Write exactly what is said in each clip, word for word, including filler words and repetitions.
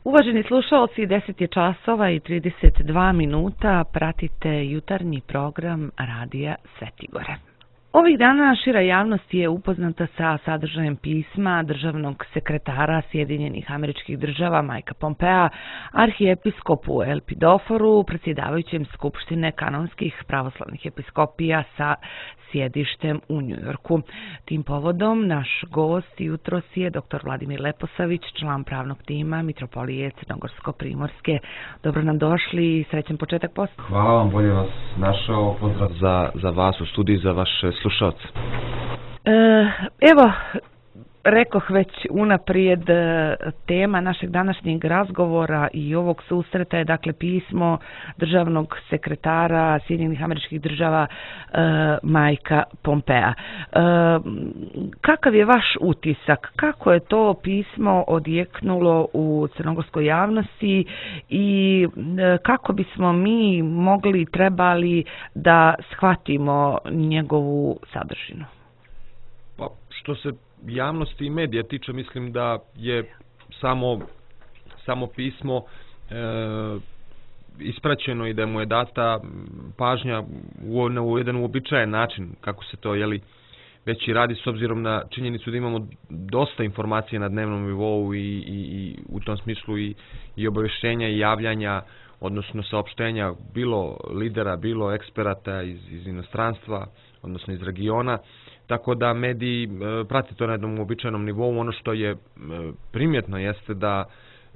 Uvaženi slušalci, deset je časova i trideset dva minuta, pratite jutarnji program Radija Svetigore. Ovih dana šira javnost je upoznata sa sadržajem pisma državnog sekretara Sjedinjenih Američkih Država Mikea Pompea arhijepiskopu Elpidoforu, predsjedavajućem Skupštine kanonskih pravoslavnih episkopija sa sjedištem u Njujorku. Tim povodom naš gost jutros je dr. Vladimir Leposavić, član pravnog tima Mitropolije Crnogorsko-Primorske. Dobro nam došli i srećan početak posla. Hvala vam, bolje vas našao. Pozdrav za, za vas u studiju, za vaše slušalce. E, evo, rekoh već unaprijed, tema našeg današnjeg razgovora i ovog susreta je dakle pismo državnog sekretara Sjedinjenih Američkih Država e, Mikea Pompea. E, kakav je vaš utisak? Kako je to pismo odjeknulo u crnogorskoj javnosti i e, kako bismo mi mogli, trebali da shvatimo njegovu sadržinu? Pa, što se javnosti i medija tiče, mislim da je samo, samo pismo e, ispraćeno i da mu je data pažnja u, u jedan uobičajen način, kako se to jeli, već i radi s obzirom na činjenicu da imamo dosta informacija na dnevnom nivou i, i, i u tom smislu i, i obavještenja i javljanja, odnosno saopštenja bilo lidera, bilo eksperata iz, iz inostranstva, odnosno iz regiona. Tako da mediji e, prate to na jednom uobičajenom nivou. Ono što je e, primjetno jeste da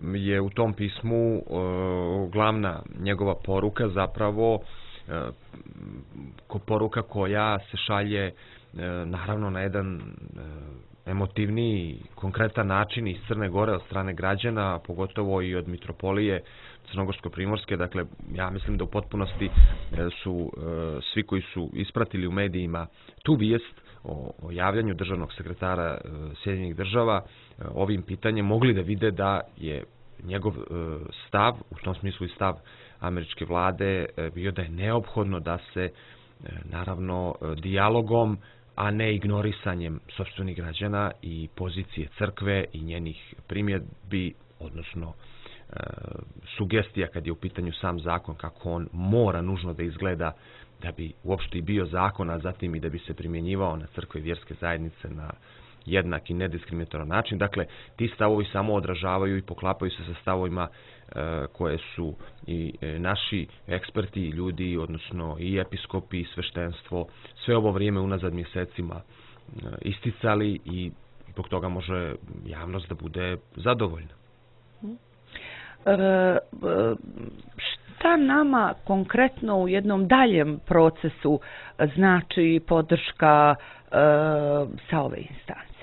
je u tom pismu e, glavna njegova poruka zapravo e, ko poruka koja se šalje e, naravno na jedan e, emotivniji, konkretan način iz Crne Gore od strane građana, pogotovo i od Mitropolije Crnogorsko-Primorske. Dakle, ja mislim da u potpunosti su e, svi koji su ispratili u medijima tu vijest o, o javljanju državnog sekretara e, Sjedinjenih Država e, ovim pitanjem mogli da vide da je njegov e, stav, u tom smislu i stav američke vlade, e, bio da je neophodno da se e, naravno e, dijalogom, a ne ignorisanjem sopstvenih građana i pozicije crkve i njenih primjedbi, odnosno e, sugestija kad je u pitanju sam zakon, kako on mora nužno da izgleda da bi uopšte i bio zakon, a zatim i da bi se primjenjivao na crkve i vjerske zajednice na jednak i nediskriminatoran način. Dakle, ti stavovi samo odražavaju i poklapaju se sa stavovima e, koje su i e, naši eksperti i ljudi, odnosno i episkopi i sveštenstvo, sve ovo vrijeme unazad mjesecima e, isticali i zbog toga može javnost da bude zadovoljna. E, e, šta nama konkretno u jednom daljem procesu znači podrška e, sa ove instance?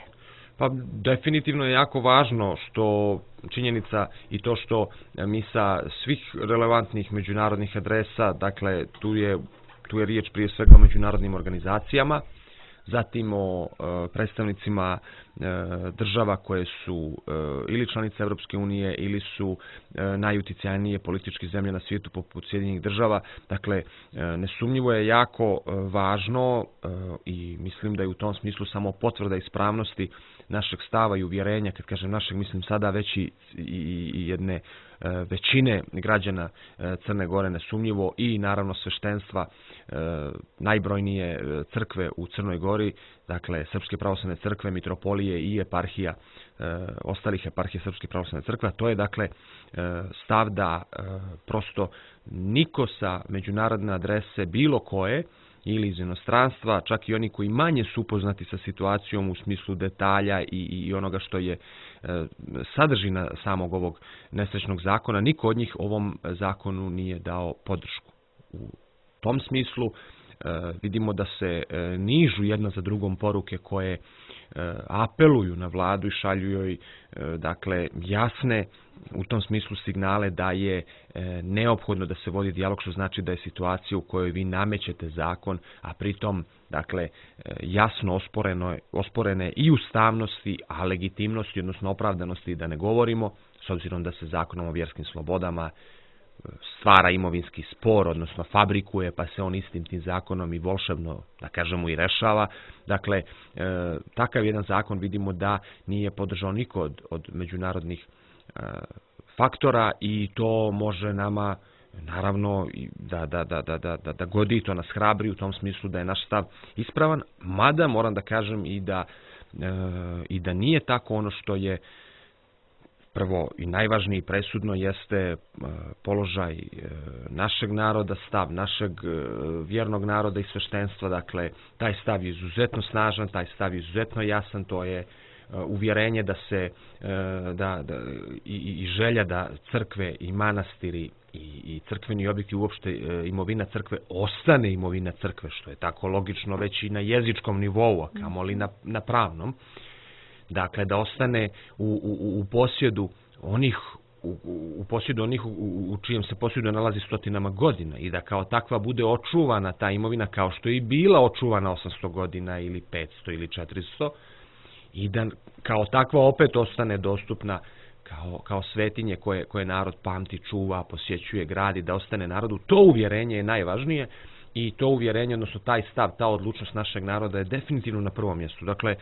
Pa definitivno je jako važno što činjenica i to što mi sa svih relevantnih međunarodnih adresa, dakle tu je, tu je riječ prije svega o međunarodnim organizacijama, zatim o e, predstavnicima e, država koje su e, ili članice Europske unije ili su e, najuticajnije političke zemlje na svijetu poput Sjedinjenih Država. Dakle, e, nesumnjivo je jako e, važno e, i mislim da je u tom smislu samo potvrda ispravnosti našeg stava i uvjerenja, kad kažem našeg, mislim sada već i, i, i jedne većine građana Crne Gore nesumnjivo i naravno sveštenstva najbrojnije crkve u Crnoj Gori, dakle Srpske pravoslavne crkve, Mitropolije i eparhija, ostalih eparhija Srpske pravoslavne crkve. To je dakle stav da prosto niko sa međunarodne adrese bilo koje ili iz inostranstva, čak i oni koji manje su upoznati sa situacijom u smislu detalja i, i onoga što je e, sadržina samog ovog nesrećnog zakona, niko od njih ovom zakonu nije dao podršku. U tom smislu e, vidimo da se e, nižu jedna za drugom poruke koje e, apeluju na vladu i šalju joj e, dakle jasne u tom smislu signale da je e, neophodno da se vodi dijalog, što znači da je situacija u kojoj vi namećete zakon, a pritom dakle e, jasno osporeno, osporene i ustavnosti, a legitimnosti, odnosno opravdanosti da ne govorimo, s obzirom da se zakonom o vjerskim slobodama stvara imovinski spor, odnosno fabrikuje, pa se on istim tim zakonom i volšebno, da kažemo, i rešava. Dakle, e, takav jedan zakon vidimo da nije podržao niko od, od međunarodnih e, faktora i to može nama naravno da, da, da, da, da, da godi, to nas hrabri u tom smislu da je naš stav ispravan, mada moram da kažem i da, e, i da nije tako. Ono što je prvo i najvažnije i presudno jeste e, položaj e, našeg naroda, stav našeg e, vjernog naroda i sveštenstva. Dakle, taj stav je izuzetno snažan, taj stav je izuzetno jasan, to je uvjerenje da se da, da, i, i želja da crkve i manastiri i, i crkveni objekti, uopšte imovina crkve ostane imovina crkve, što je tako logično već i na jezičkom nivou, a kamoli na, na pravnom. Dakle, da ostane u, u, u posjedu onih u, u posjedu onih u, u čijem se posjedu nalazi stotinama godina i da kao takva bude očuvana ta imovina kao što je i bila očuvana osamsto godina ili petsto ili četiristo, i da kao takva opet ostane dostupna kao, kao svetinje koje, koje narod pamti, čuva, posjećuje, gradi, da ostane narodu. To uvjerenje je najvažnije i to uvjerenje, odnosno taj stav, ta odlučnost našeg naroda je definitivno na prvom mjestu. Dakle,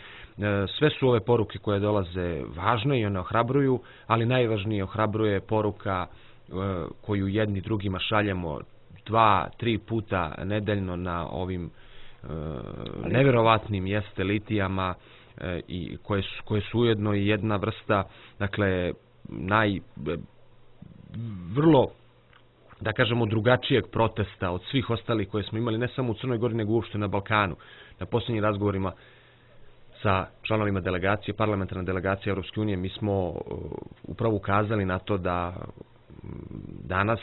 sve su ove poruke koje dolaze važne i one ohrabruju, ali najvažnije ohrabruje poruka koju jedni drugima šaljemo dva, tri puta nedeljno na ovim nevjerovatnim jeste litijama, i koje su, koje su ujedno i jedna vrsta, dakle, naj vrlo, da kažemo, drugačijeg protesta od svih ostalih koje smo imali, ne samo u Crnoj Gori, nego uopšte na Balkanu. Na posljednjim razgovorima sa članovima delegacije, parlamentarne delegacije Europske unije, mi smo upravo ukazali na to da danas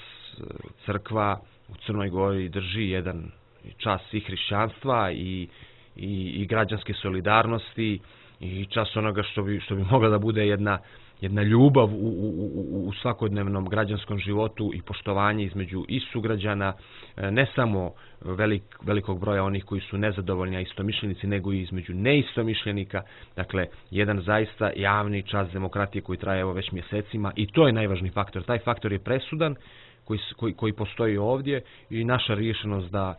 crkva u Crnoj Gori drži jedan čas i hrišćanstva i I, i građanske solidarnosti i čas onoga što bi, što bi mogla da bude jedna, jedna ljubav u, u, u svakodnevnom građanskom životu i poštovanje između i sugrađana, ne samo velik, velikog broja onih koji su nezadovoljni, a istomišljenici, nego i između neistomišljenika. Dakle, jedan zaista javni čas demokratije koji traje evo već mjesecima i to je najvažniji faktor. Taj faktor je presudan koji, koji, koji postoji ovdje i naša riješenost da,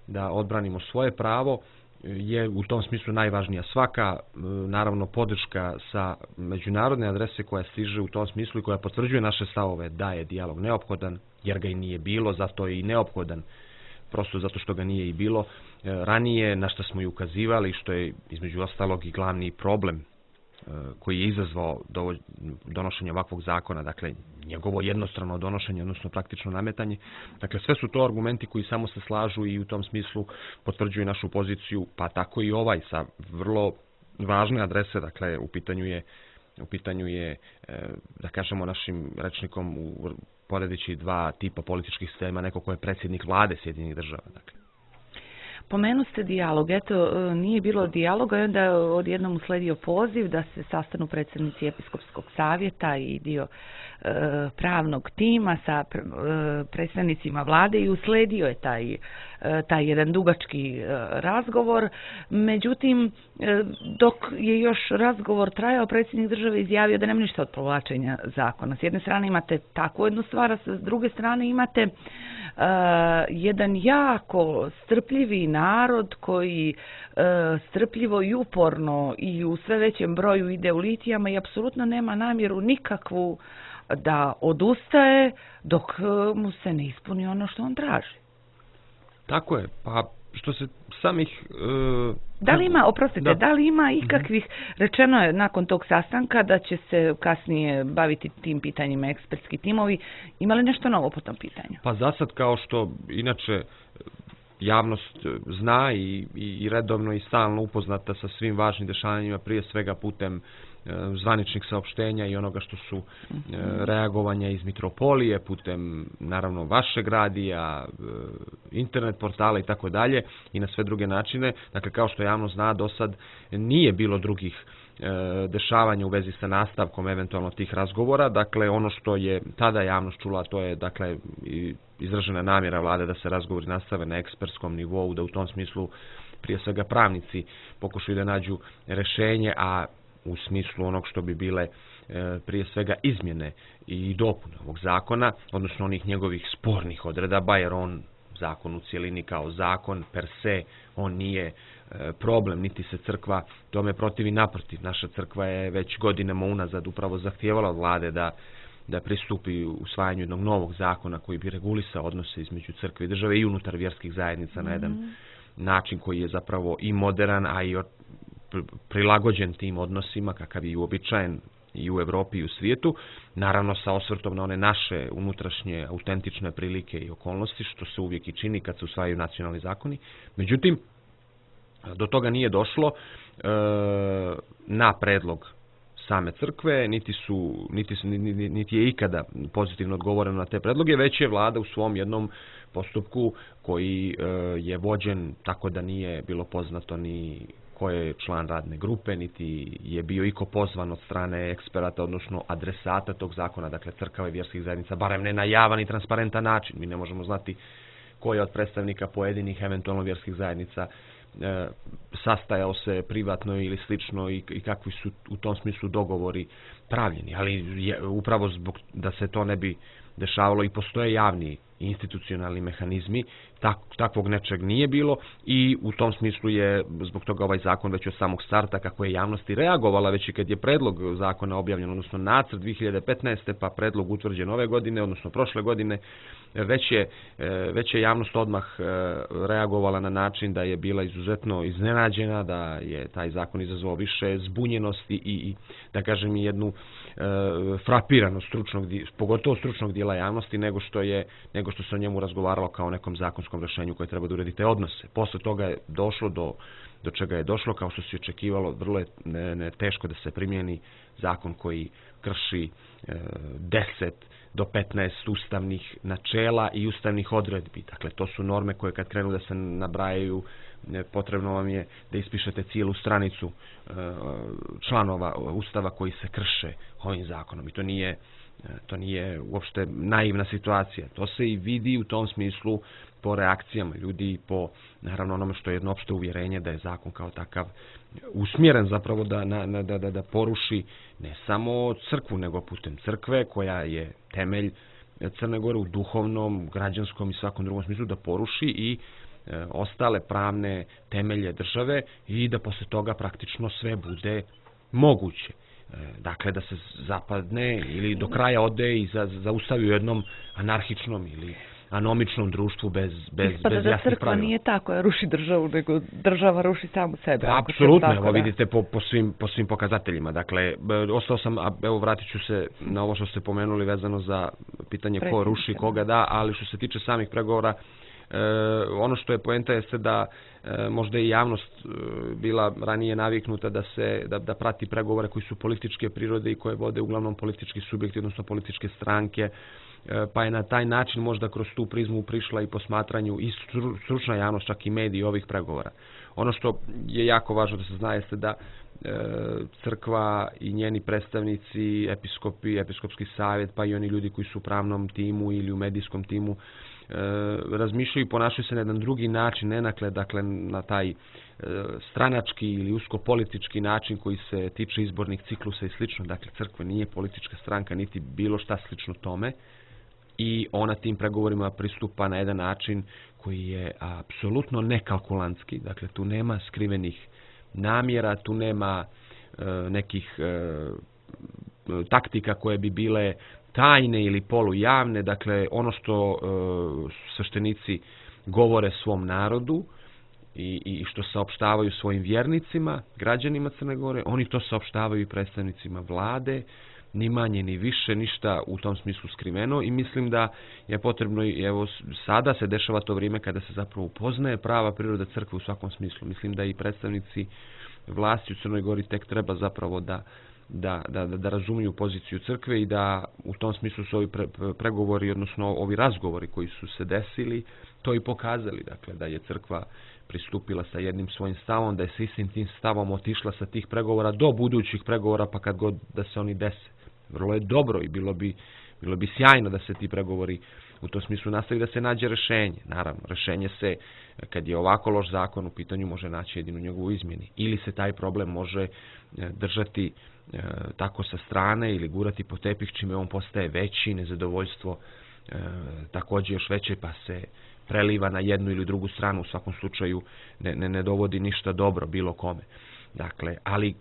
da odbranimo svoje pravo je u tom smislu najvažnija. Svaka, naravno, podrška sa međunarodne adrese koja stiže u tom smislu i koja potvrđuje naše stavove da je dijalog neophodan, jer ga i nije bilo, zato je i neophodan, prosto zato što ga nije i bilo ranije, na što smo i ukazivali, što je između ostalog i glavni problem koji je izazvao donošenje ovakvog zakona, dakle njegovo jednostrano donošenje, odnosno praktično nametanje. Dakle, sve su to argumenti koji samo se slažu i u tom smislu potvrđuju našu poziciju, pa tako i ovaj sa vrlo važne adrese, dakle u pitanju je, u pitanju je da kažemo našim rečnikom poredeći dva tipa političkih sistema, neko ko je predsjednik vlade Sjedinjenih država, dakle. Pomenu ste dijalog, eto, nije bilo dijaloga i onda odjednom usledio poziv da se sastanu predsjednici Episkopskog savjeta i dio e, pravnog tima sa e, predstavnicima vlade i usledio je taj, e, taj jedan dugački e, razgovor. Međutim, e, dok je još razgovor trajao, predsjednik države izjavio da nema ništa od povlačenja zakona. S jedne strane imate takvu jednu stvar, a s druge strane imate Uh, jedan jako strpljivi narod koji uh, strpljivo i uporno i u sve većem broju ide u litijama i apsolutno nema namjeru nikakvu da odustaje dok uh, mu se ne ispuni ono što on traži. Tako je, pa što se samih... Uh, da li ima, oprostite, da. da li ima ikakvih, uh-huh. rečeno je nakon tog sastanka da će se kasnije baviti tim pitanjima ekspertski timovi, ima li nešto novo po tom pitanju? Pa za sad, kao što inače javnost zna i, i redovno i stalno upoznata sa svim važnim dešavanjima, prije svega putem zvaničnih saopštenja i onoga što su reagovanja iz Mitropolije, putem naravno vašeg radija, internet portala i tako dalje i na sve druge načine. Dakle, kao što javnost zna, do sad nije bilo drugih dešavanja u vezi sa nastavkom eventualno tih razgovora. Dakle, ono što je tada javnost čula, to je dakle izražena namjera vlade da se razgovori nastave na ekspertskom nivou, da u tom smislu prije svega pravnici pokušaju da nađu rešenje, a u smislu onog što bi bile e, prije svega izmjene i dopune ovog zakona, odnosno onih njegovih spornih odredaba, jer on zakon u cijelini kao zakon per se, on nije e, problem, niti se crkva tome protivi, naprotiv. Naša crkva je već godinama unazad upravo zahtijevala od vlade da da pristupi usvajanju jednog novog zakona koji bi regulisao odnose između crkve i države i unutar vjerskih zajednica mm. na jedan način koji je zapravo i modern, a i prilagođen tim odnosima kakav je uobičajen i u Evropi i u svijetu, naravno sa osvrtom na one naše unutrašnje autentične prilike i okolnosti, što se uvijek i čini kad se usvajaju nacionalni zakoni. Međutim, do toga nije došlo e, na predlog same crkve, niti, su, niti, su, niti, niti je ikada pozitivno odgovoreno na te predloge, već je vlada u svom jednom postupku koji e, je vođen tako da nije bilo poznato ni ko je član radne grupe, niti je bio iko pozvan od strane eksperata, odnosno adresata tog zakona, dakle crkava i vjerskih zajednica, barem ne na javan i transparentan način. Mi ne možemo znati ko je od predstavnika pojedinih eventualno vjerskih zajednica e, sastajao se privatno ili slično i, i kakvi su u tom smislu dogovori pravljeni. Ali je, upravo zbog da se to ne bi dešavalo i postoje javni institucionalni mehanizmi, tak, takvog nečeg nije bilo i u tom smislu je zbog toga ovaj zakon već od samog starta, kako je javnost i reagovala već i kad je predlog zakona objavljen, odnosno nacrt dvije hiljade petnaeste pa predlog utvrđen ove godine, odnosno prošle godine, već je, već je javnost odmah reagovala na način da je bila izuzetno iznenađena, da je taj zakon izazvao više zbunjenosti i, i da kažem i jednu frapiranost stručnog, pogotovo stručnog dijela javnosti nego što je nego što se o njemu razgovaralo kao o nekom zakonskom rješenju koje treba da uredi te odnose. Posle toga je došlo do, do čega je došlo, kao što se očekivalo, vrlo je ne, ne, teško da se primijeni zakon koji krši e, deset do petnaest ustavnih načela i ustavnih odredbi. Dakle, to su norme koje kad krenu da se nabrajaju, potrebno vam je da ispišete cijelu stranicu e, članova ustava koji se krše ovim zakonom. I to nije To nije uopšte naivna situacija. To se i vidi u tom smislu po reakcijama ljudi i po, naravno, onome što je jedno opšte uvjerenje da je zakon kao takav usmjeren zapravo da, na, da, da, da poruši ne samo crkvu, nego putem crkve koja je temelj Crne Gore u duhovnom, građanskom i svakom drugom smislu, da poruši i e, ostale pravne temelje države i da posle toga praktično sve bude moguće. Dakle, da se zapadne ili do kraja ode i za, zaustavi u jednom anarhičnom ili anomičnom društvu bez, bez, Ispada bez da jasnih crkva pravila. nije ta koja ruši državu, nego država ruši samu sebe. Apsolutno, evo vidite po, po, svim, po svim pokazateljima. Dakle, ostao sam, a evo vratit ću se na ovo što ste pomenuli vezano za pitanje ko ruši, koga da, ali što se tiče samih pregovora, E, ono što je poenta jeste da e, možda i javnost e, bila ranije naviknuta da se da, da prati pregovore koji su političke prirode i koje vode uglavnom politički subjekti, odnosno političke stranke, e, pa je na taj način možda kroz tu prizmu prišla i posmatranju i stručna javnost, čak i mediji ovih pregovora. Ono što je jako važno da se zna jeste da e, crkva i njeni predstavnici, episkopi, episkopski savjet, pa i oni ljudi koji su u pravnom timu ili u medijskom timu, E, razmišljaju i ponašaju se na jedan drugi način, ne nakle, dakle, na taj e, stranački ili uskopolitički način koji se tiče izbornih ciklusa i slično. Dakle, crkva nije politička stranka, niti bilo šta slično tome i ona tim pregovorima pristupa na jedan način koji je apsolutno nekalkulantski. Dakle, tu nema skrivenih namjera, tu nema e, nekih e, taktika koje bi bile tajne ili polujavne, dakle ono što e, sveštenici govore svom narodu i, i što saopštavaju svojim vjernicima, građanima Crne Gore, oni to saopštavaju i predstavnicima vlade, ni manje ni više, ništa u tom smislu skriveno i mislim da je potrebno, evo sada se dešava to vrijeme kada se zapravo upoznaje prava priroda crkve u svakom smislu. Mislim da i predstavnici vlasti u Crnoj Gori tek treba zapravo da Da, da, da razumiju poziciju crkve i da u tom smislu su ovi pre, pregovori, odnosno ovi razgovori koji su se desili, to i pokazali. Dakle, da je crkva pristupila sa jednim svojim stavom, da je sa istim tim stavom otišla sa tih pregovora do budućih pregovora, pa kad god da se oni dese. Vrlo je dobro i bilo bi, bilo bi sjajno da se ti pregovori u tom smislu nastavi, da se nađe rješenje. Naravno, rješenje se, kad je ovako loš zakon u pitanju, može naći jedinu njegovu izmjeni. Ili se taj problem može držati e, tako sa strane ili gurati po tepih, čime on postaje veći, nezadovoljstvo e, također još veće, pa se preliva na jednu ili drugu stranu, u svakom slučaju ne, ne, ne dovodi ništa dobro bilo kome. Dakle, ali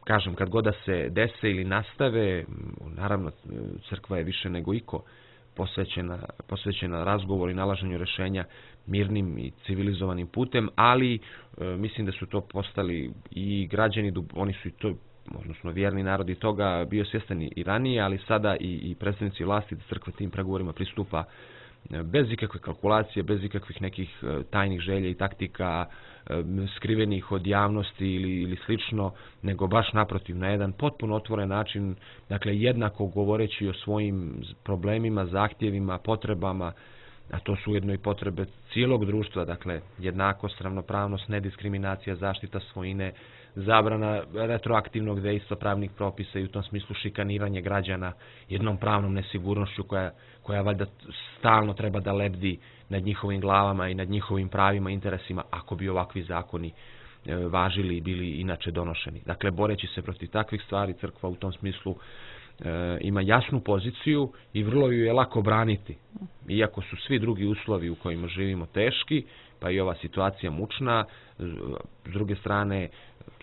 kažem, kad god da se dese ili nastave, naravno crkva je više nego iko posvećena, posvećena razgovoru i nalaženju rješenja mirnim i civilizovanim putem, ali e, mislim da su to postali i građani, oni su i to, odnosno vjerni narodi toga bio svjestan i ranije, ali sada i, i predstavnici vlasti da crkva tim pregovorima pristupa bez ikakve kalkulacije, bez ikakvih nekih tajnih želja i taktika skrivenih od javnosti ili, ili slično, nego baš naprotiv, na jedan potpuno otvoren način, dakle jednako govoreći o svojim problemima, zahtjevima, potrebama, a to su ujedno i potrebe cijelog društva, dakle jednakost, ravnopravnost, nediskriminacija, zaštita svojine, zabrana retroaktivnog dejstva pravnih propisa i u tom smislu šikaniranje građana jednom pravnom nesigurnošću koja, koja valjda stalno treba da lebdi nad njihovim glavama i nad njihovim pravima i interesima ako bi ovakvi zakoni e, važili i bili inače donošeni. Dakle, boreći se protiv takvih stvari, crkva u tom smislu e, ima jasnu poziciju i vrlo ju je lako braniti. Iako su svi drugi uslovi u kojima živimo teški, pa i ova situacija mučna, s druge strane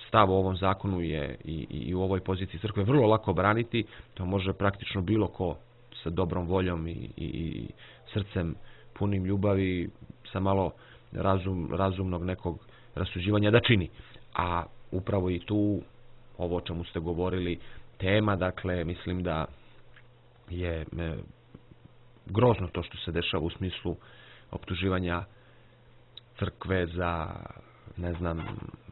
stav u ovom zakonu je i, i u ovoj poziciji crkve vrlo lako braniti, to može praktično bilo ko sa dobrom voljom i, i, i srcem punim ljubavi, sa malo razum, razumnog nekog rasuđivanja da čini. A upravo i tu, ovo o čemu ste govorili, tema, dakle, mislim da je e, grozno to što se dešava u smislu optuživanja crkve za, ne znam,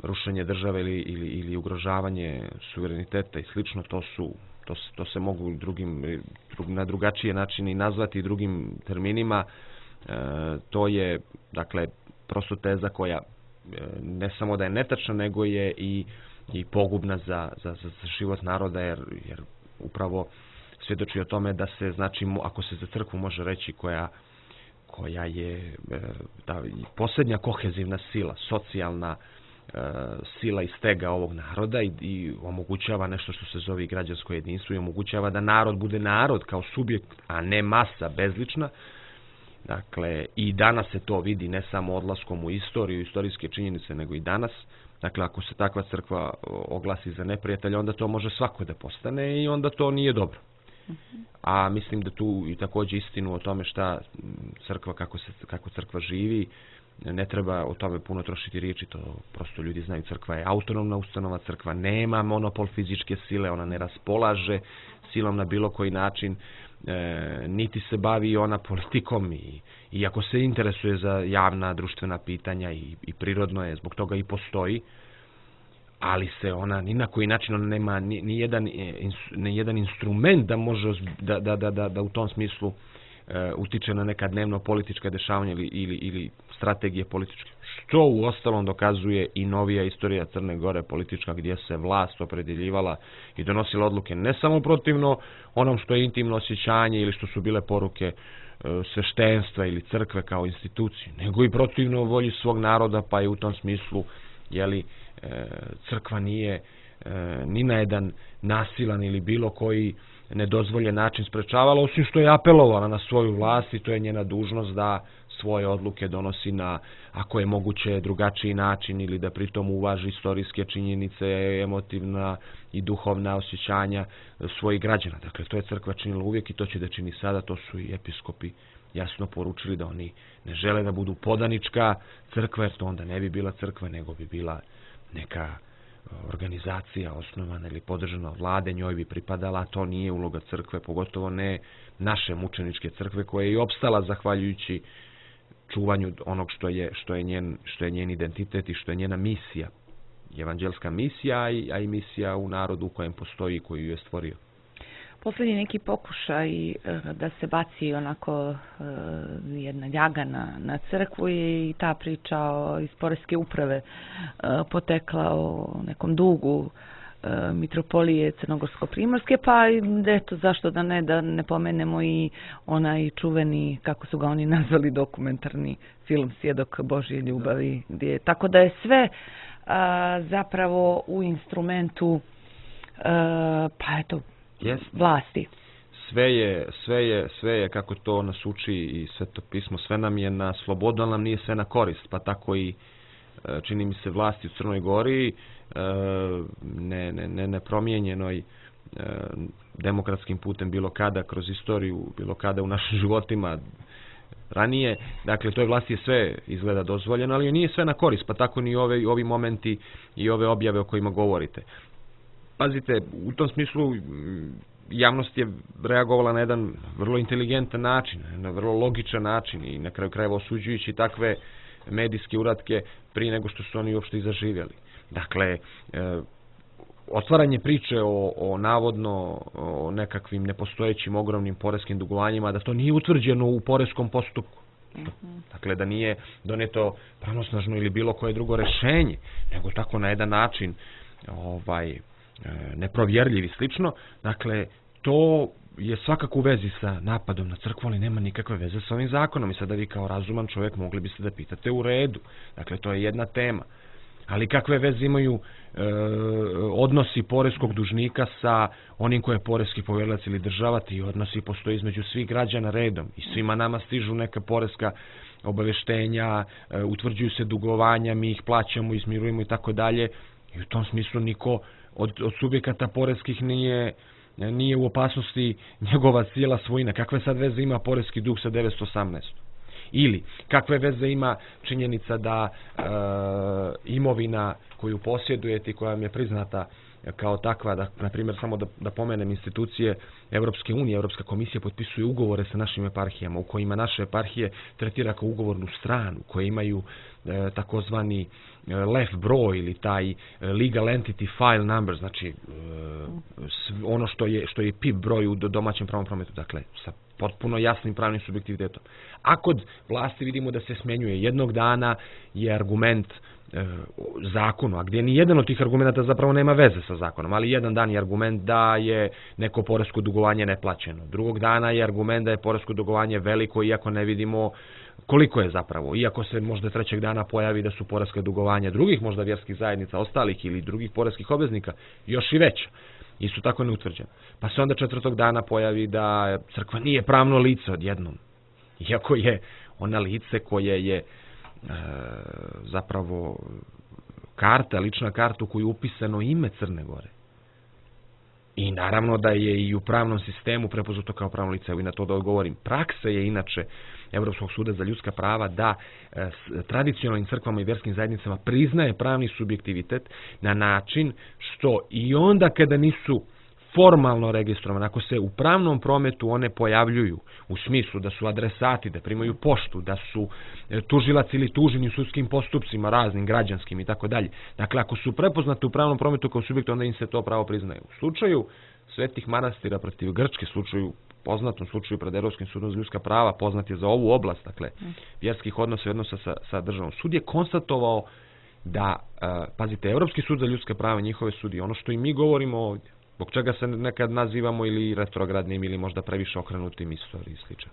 rušenje države ili, ili, ili ugrožavanje suvereniteta i slično, to su, to, to se mogu drugim, drug, na drugačije načine i nazvati drugim terminima. E, to je, dakle, prosto teza koja e, ne samo da je netačna, nego je i, i pogubna za, za, za život naroda, jer, jer upravo svjedoči o tome da se, znači, ako se za crkvu može reći koja koja je da, posljednja kohezivna sila, socijalna e, sila i stega ovog naroda i, i omogućava nešto što se zove građansko jedinstvo i omogućava da narod bude narod kao subjekt, a ne masa bezlična. Dakle, i danas se to vidi ne samo odlaskom u istoriju, istorijske činjenice, nego i danas. Dakle, ako se takva crkva oglasi za neprijatelja, onda to može svako da postane i onda to nije dobro. A mislim da tu i također istinu o tome šta crkva, kako, se, kako crkva živi, ne treba o tome puno trošiti riječi, to prosto ljudi znaju. Crkva je autonomna ustanova, crkva nema monopol fizičke sile, ona ne raspolaže silom na bilo koji način, e, niti se bavi ona politikom i, i ako se interesuje za javna društvena pitanja i, i prirodno je, zbog toga i postoji, ali se ona ni na koji način ona nema ni, ni, jedan, ni jedan instrument da može da, da, da, da, da u tom smislu e, utiče na neka dnevno politička dešavanja ili, ili, ili strategije političke. Što u ostalom dokazuje i novija istorija Crne Gore politička, gdje se vlast opredjeljivala i donosila odluke ne samo protivno onom što je intimno osjećanje ili što su bile poruke e, sveštenstva ili crkve kao institucije, nego i protivno volji svog naroda, pa je u tom smislu, jeli, crkva nije ni na jedan nasilan ili bilo koji nedozvoljen način sprečavala, osim što je apelovala na svoju vlast i to je njena dužnost da svoje odluke donosi na, ako je moguće, drugačiji način ili da pritom uvaži istorijske činjenice, emotivna i duhovna osjećanja svojih građana. Dakle, to je crkva činila uvijek i to će da čini sada, to su i episkopi jasno poručili da oni ne žele da budu podanička crkva, jer to onda ne bi bila crkva, nego bi bila neka organizacija osnovana ili podržana od vlade, njoj bi pripadala, to nije uloga crkve, pogotovo ne naše mučeničke crkve koja je i opstala zahvaljujući čuvanju onog što je, što je, njen, što je njen identitet i što je njena misija, evanđelska misija, a i, a i misija u narodu u kojem postoji i koju je stvorio. Posljednji neki pokušaj da se baci onako jedna ljaga na, na crkvu i ta priča o, iz Poreske uprave potekla o nekom dugu mitropolije Crnogorsko-Primorske, pa eto, zašto da ne, da ne pomenemo i onaj čuveni, kako su ga oni nazvali, dokumentarni film Svjedok Božje ljubavi, gdje, tako da je sve a, zapravo u instrumentu a, pa eto, Yes. vlasti. Sve je, sve je, sve je kako to nas uči i Sveto pismo, sve nam je na slobodu, ali nam nije sve na korist, pa tako i čini mi se vlasti u Crnoj Gori ne, ne, ne, nepromijenjenoj demokratskim putem bilo kada kroz istoriju, bilo kada u našim životima ranije. Dakle, toj vlasti je sve izgleda dozvoljeno, ali nije sve na korist, pa tako ni ove, ovi momenti i ove objave o kojima govorite. Pazite, u tom smislu javnost je reagovala na jedan vrlo inteligentan način, na vrlo logičan način i na kraju krajeva osuđujući takve medijske uratke prije nego što su oni uopšte i zaživjeli. Dakle, otvaranje priče o, o navodno o nekakvim nepostojećim ogromnim poreskim dugovanjima, da to nije utvrđeno u poreskom postupku. Mm-hmm. Dakle, da nije doneto pravnosnažno ili bilo koje drugo rešenje, nego tako na jedan način ovaj, neprovjerljiv i slično. Dakle, to je svakako u vezi sa napadom na crkvu, ali nema nikakve veze sa ovim zakonom. I sada vi kao razuman čovjek mogli biste da pitate u redu. Dakle, to je jedna tema. Ali kakve veze imaju e, odnosi poreskog dužnika sa onim koje je poreski povjerilac ili država, ti odnosi postoji između svih građana redom i svima nama stižu neka poreska obaveštenja, e, utvrđuju se dugovanja, mi ih plaćamo, izmirujemo i tako dalje. I u tom smislu niko od, od subjekata poreskih nije, nije u opasnosti njegova cijela svojina. Kakve sad veze ima poreski dug sa devetsto osamnaest? Ili kakve veze ima činjenica da e, imovina koju posjedujete i koja vam je priznata kao takva, da, na primjer, samo da, da pomenem institucije Evropske unije, Evropska komisija potpisuje ugovore sa našim eparhijama u kojima naše eparhije tretira kao ugovornu stranu, koje imaju e, takozvani e, L E F broj ili taj legal entity file number, znači e, ono što je, što je P I P broj u domaćem pravnom prometu, dakle sa potpuno jasnim pravnim subjektivitetom. A kod vlasti vidimo da se smenjuje jednog dana je argument e, zakonu, a gdje ni jedan od tih argumenta zapravo nema veze sa zakonom, ali jedan dan je argument da je neko poresko dugovanje neplaćeno. Drugog dana je argument da je poresko dugovanje veliko, iako ne vidimo koliko je zapravo. Iako se možda trećeg dana pojavi da su poreska dugovanja drugih možda vjerskih zajednica, ostalih ili drugih poreskih obveznika još i veća. Isto tako neutvrđeno. Pa se onda četvrtog dana pojavi da crkva nije pravno lice odjednom. Iako je ona lice koje je e, zapravo karta, lična karta u koju je upisano ime Crne Gore. I naravno da je i u pravnom sistemu prepoznato kao pravno lice. Evo i na to da odgovorim. Praksa je inače Evropskog suda za ljudska prava da e, tradicionalnim crkvama i vjerskim zajednicama priznaje pravni subjektivitet na način što i onda kada nisu formalno registrovane, ako se u pravnom prometu one pojavljuju u smislu da su adresati, da primaju poštu, da su e, tužilac ili tuženi u sudskim postupcima raznim, građanskim i tako dalje. Dakle, ako su prepoznate u pravnom prometu kao subjekt, onda im se to pravo priznaje. U slučaju Svetih manastira protiv Grčke, slučaju poznatom slučaju pred Evropskim sudom za ljudska prava, poznat je za ovu oblast, dakle, vjerskih odnosa i odnosa sa, sa državom. Sud je konstatovao da, uh, pazite, Evropski sud za ljudska prava, njihove sudije, ono što i mi govorimo ovdje, zbog čega se nekad nazivamo ili retrogradnim ili možda previše okrenutim istoriji i slično,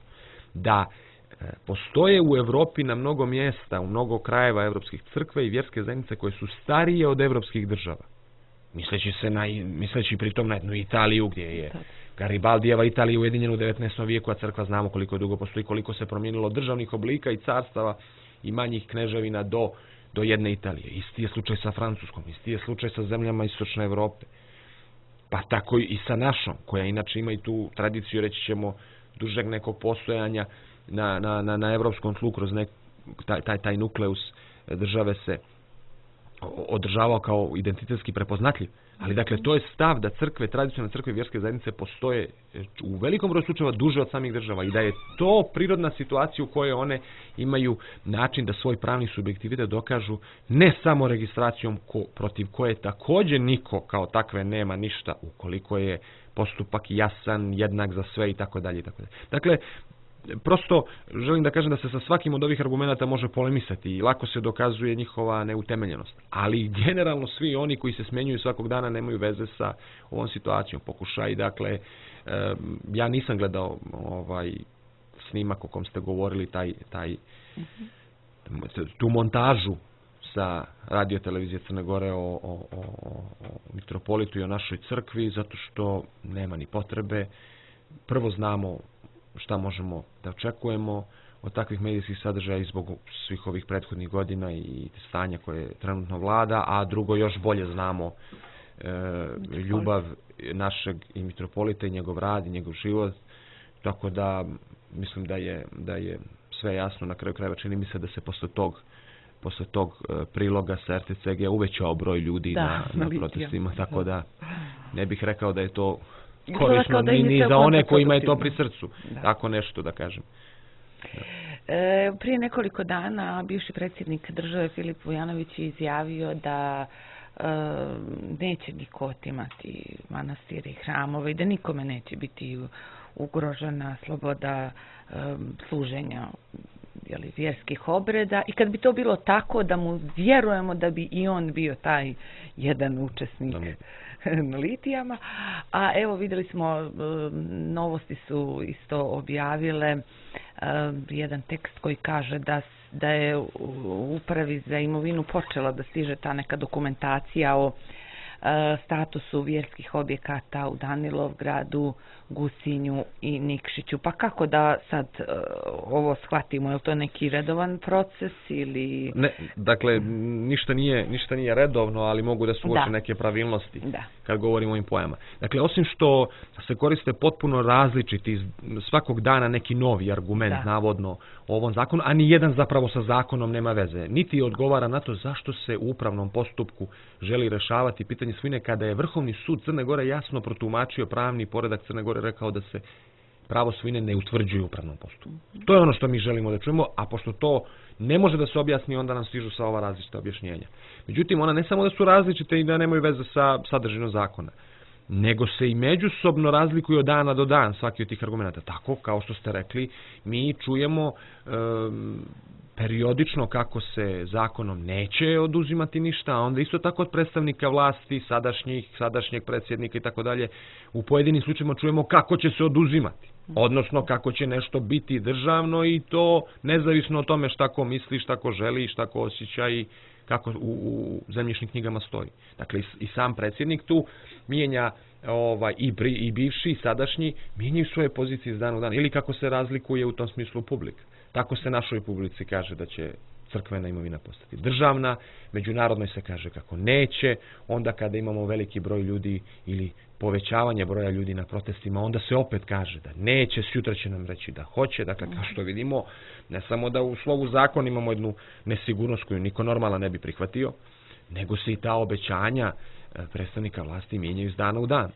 da uh, postoje u Evropi na mnogo mjesta, u mnogo krajeva evropskih crkve i vjerske zajednice koje su starije od evropskih država. Misleći se na, misleći pritom na jednu Italiju gdje je Garibaldijeva Italija ujedinjena u devetnaestom vijeku, a crkva znamo koliko dugo postoji, koliko se promijenilo državnih oblika i carstava i manjih kneževina do, do jedne Italije. Isti je slučaj sa Francuskom, isti je slučaj sa zemljama istočne Evrope. Pa tako i sa našom, koja inače ima i tu tradiciju, reći ćemo, dužeg nekog postojanja na, na, na, na evropskom tlu kroz nek, taj, taj, taj nukleus države se održavao kao identitetski prepoznatljiv. Ali dakle, to je stav da crkve, tradicionalne crkve i vjerske zajednice postoje u velikom broju slučajeva duže od samih država i da je to prirodna situacija u kojoj one imaju način da svoj pravni subjektivitet dokažu ne samo registracijom ko, protiv koje također niko kao takve nema ništa ukoliko je postupak jasan, jednak za sve i tako dalje i tako dalje. Dakle, prosto želim da kažem da se sa svakim od ovih argumenata može polemisati i lako se dokazuje njihova neutemeljenost. Ali generalno svi oni koji se smjenjuju svakog dana nemaju veze sa ovom situacijom. Pokušaj, dakle, ja nisam gledao ovaj snimak o kom ste govorili, taj, taj, tu montažu sa radio televizije Crne Gore o, o, o, o mitropolitu i o našoj crkvi, zato što nema ni potrebe. Prvo znamo šta možemo da očekujemo od takvih medijskih sadržaja i zbog svih ovih prethodnih godina i stanja koje trenutno vlada, a drugo još bolje znamo e, ljubav našeg i mitropolita i njegov rad i njegov život, tako da mislim da je, da je sve jasno. Na kraju krajeva čini mi se da se posle tog posle tog priloga sa R T C G uvećao broj ljudi da, na, na protestima, tako da ne bih rekao da je to korisno da ni, ni za one kojima je to pri srcu. Da. Tako nešto da kažem. Da. E, prije nekoliko dana bivši predsjednik države Filip Vujanović je izjavio da e, neće niko otimati manastire i hramove i da nikome neće biti ugrožena sloboda e, služenja jeli, vjerskih obreda, i kad bi to bilo tako da mu vjerujemo da bi i on bio taj jedan učesnik na litijama. A evo vidjeli smo, novosti su isto objavile jedan tekst koji kaže da, da je u upravi za imovinu počela da stiže ta neka dokumentacija o statusu vjerskih objekata u Danilovgradu, Gusinju i Nikšiću. Pa kako da sad uh, ovo shvatimo? Je li to neki redovan proces ili... Ne, dakle, ništa nije, ništa nije redovno, ali mogu da su uoče da. neke pravilnosti da. kad govorimo o ovim pojama. Dakle, osim što se koriste potpuno različiti svakog dana neki novi argument, da. navodno, o ovom zakonu, a ni jedan zapravo sa zakonom nema veze. Niti odgovara na to zašto se u upravnom postupku želi rešavati pitanje svojine kada je Vrhovni sud Crne Gore jasno protumačio pravni poredak Crne Gore, rekao da se pravo svojine ne utvrđuje u upravnom postupku. To je ono što mi želimo da čujemo, a pošto to ne može da se objasni, onda nam stižu sa ova različita objašnjenja. Međutim, ona ne samo da su različite i da nemaju veze sa sadržinom zakona, nego se i međusobno razlikuju od dana do dan svaki od tih argumenta. Tako, kao što ste rekli, mi čujemo um, periodično kako se zakonom neće oduzimati ništa, a onda isto tako od predstavnika vlasti, sadašnjih, sadašnjeg predsjednika i tako dalje, u pojedinim slučajima čujemo kako će se oduzimati. Odnosno kako će nešto biti državno i to nezavisno od tome šta ko misli, šta ko želi, šta ko osjeća i kako u, u zemljišnim knjigama stoji. Dakle, i, i sam predsjednik tu mijenja ovaj, i, bri, i bivši i sadašnji mijenjaju svoje pozicije iz dana u dan. Ili kako se razlikuje u tom smislu publika. Tako se našoj publici kaže da će crkvena imovina postati državna, međunarodnoj se kaže kako neće, onda kada imamo veliki broj ljudi ili povećavanje broja ljudi na protestima, onda se opet kaže da neće, sutra će nam reći da hoće. Dakle, kao što vidimo, ne samo da u slovu zakona imamo jednu nesigurnost koju niko normalan ne bi prihvatio, nego se i ta obećanja predstavnika vlasti mijenjaju iz dana u dan.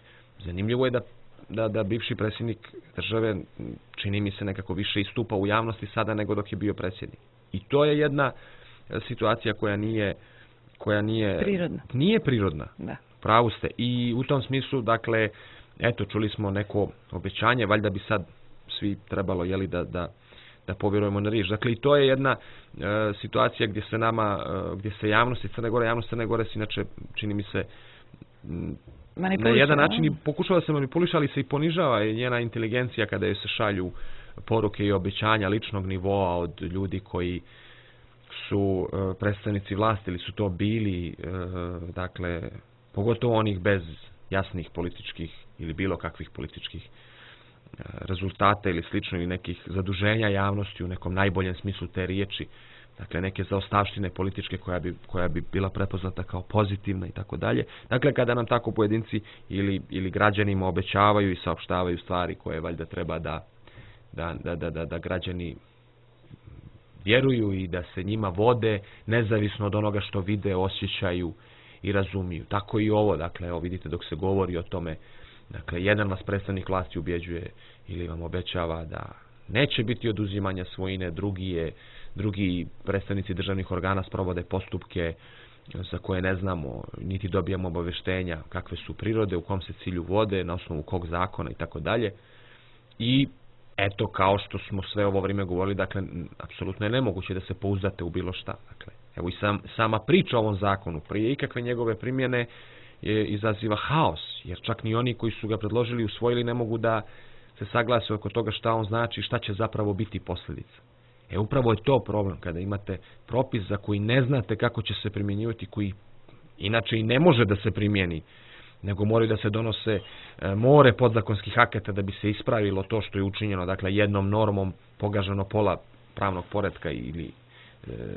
Zanimljivo je da Da, da bivši predsjednik države, čini mi se, nekako više istupa u javnosti sada nego dok je bio predsjednik. I to je jedna situacija koja nije koja nije prirodna. Nije prirodna. Da. Pravu ste. I u tom smislu, dakle, eto, čuli smo neko obećanje, valjda bi sad svi trebalo, jeli, da, da, da povjerujemo na riječ. Dakle, i to je jedna e, situacija gdje se nama, e, gdje se javnosti Crne Gore, javnost Crne Gore, inače, čini mi se, m, na jedan način i pokušava se manipuliša, ali se i ponižava njena inteligencija kada joj se šalju poruke i obećanja ličnog nivoa od ljudi koji su uh, predstavnici vlasti ili su to bili, uh, dakle, pogotovo onih bez jasnih političkih ili bilo kakvih političkih uh, rezultata ili slično, ili nekih zaduženja javnosti u nekom najboljem smislu te riječi. Dakle, neke zaostavštine političke koja bi, koja bi bila prepoznata kao pozitivna i tako dalje. Dakle, kada nam tako pojedinci ili, ili građanima obećavaju i saopštavaju stvari koje valjda treba da, da, da, da, da, da građani vjeruju i da se njima vode, nezavisno od onoga što vide, osjećaju i razumiju. Tako i ovo, dakle, evo vidite dok se govori o tome, dakle, jedan vas predstavnik vlasti ubjeđuje ili vam obećava da neće biti oduzimanja svojine, drugi je drugi predstavnici državnih organa sprovode postupke za koje ne znamo, niti dobijamo obavještenja kakve su prirode, u kom se cilju vode, na osnovu kog zakona i tako dalje. I eto, kao što smo sve ovo vrijeme govorili, dakle, apsolutno je nemoguće da se pouzdate u bilo šta. Dakle, evo i sam, sama priča o ovom zakonu, prije ikakve njegove primjene, je, izaziva haos, jer čak ni oni koji su ga predložili i usvojili ne mogu da se saglase oko toga šta on znači i šta će zapravo biti posljedica. E, upravo je to problem, kada imate propis za koji ne znate kako će se primjenjivati, koji inače i ne može da se primjeni, nego moraju da se donose e, more podzakonskih akata da bi se ispravilo to što je učinjeno, dakle, jednom normom pogaženo pola, pravnog poretka ili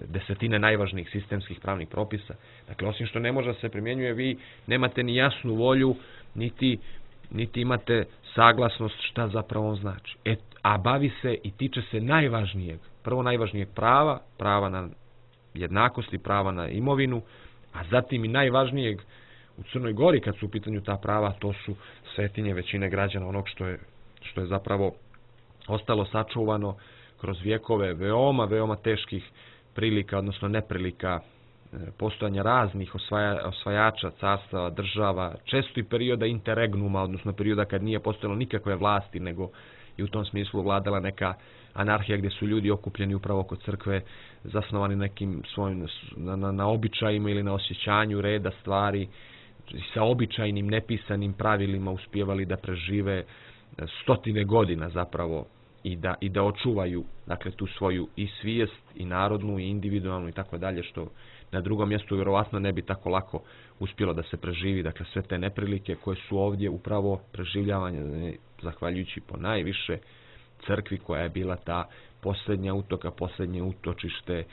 desetine najvažnijih sistemskih pravnih propisa. Dakle, osim što ne može da se primjenjuje, vi nemate ni jasnu volju, niti, niti imate saglasnost šta zapravo on znači. E, a bavi se i tiče se najvažnijeg, prvo najvažnijeg prava, prava na jednakosti, prava na imovinu, a zatim i najvažnijeg u Crnoj Gori kad su u pitanju ta prava, to su svetinje većine građana, onog što je, što je zapravo ostalo sačuvano kroz vjekove veoma, veoma teških prilika, odnosno neprilika postojanja raznih osvaja, osvajača, carstava, država, često i perioda interregnuma, odnosno perioda kad nije postojalo nikakve vlasti, nego i u tom smislu vladala neka anarhija gdje su ljudi okupljeni upravo kod crkve, zasnovani nekim svojim, na, na, na običajima ili na osjećanju reda stvari, sa običajnim nepisanim pravilima uspijevali da prežive stotine godina zapravo i da, i da očuvaju, dakle, tu svoju i svijest i narodnu i individualnu i tako dalje, što na drugom mjestu vjerovatno ne bi tako lako uspjelo da se preživi. Dakle, sve te neprilike koje su ovdje upravo preživljavanje zahvaljujući po najviše crkvi koja je bila ta posljednja utoka, posljednje utočište,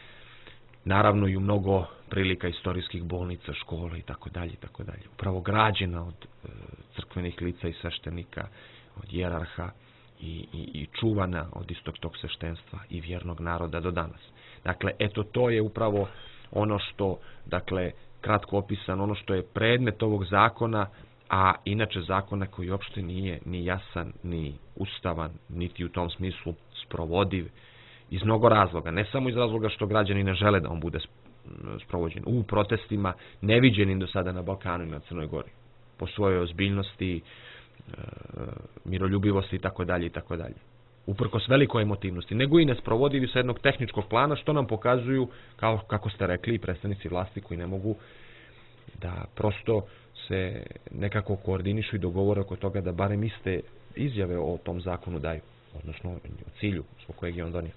naravno i u mnogo prilika istorijskih bolnica, škola i tako dalje i tako dalje. Upravo građena od e, crkvenih lica i sveštenika, od jerarha i, i, i čuvana od istog tog sveštenstva i vjernog naroda do danas. Dakle, eto, to je upravo ono što, dakle, kratko opisano, ono što je predmet ovog zakona, a inače zakona koji uopšte nije ni jasan, ni ustavan, niti u tom smislu sprovodiv, iz mnogo razloga. Ne samo iz razloga što građani ne žele da on bude sprovođen u protestima, neviđenim do sada na Balkanu i na Crnoj Gori, po svojoj ozbiljnosti, miroljubivosti i tako dalje i tako dalje. Uprkos velikoj emotivnosti, nego i nesprovodivi sa jednog tehničkog plana, što nam pokazuju, kao kako ste rekli, predstavnici vlasti koji ne mogu da prosto se nekako koordinišu i dogovore oko toga da barem iste izjave o tom zakonu daju, odnosno o cilju zbog kojeg je on donio.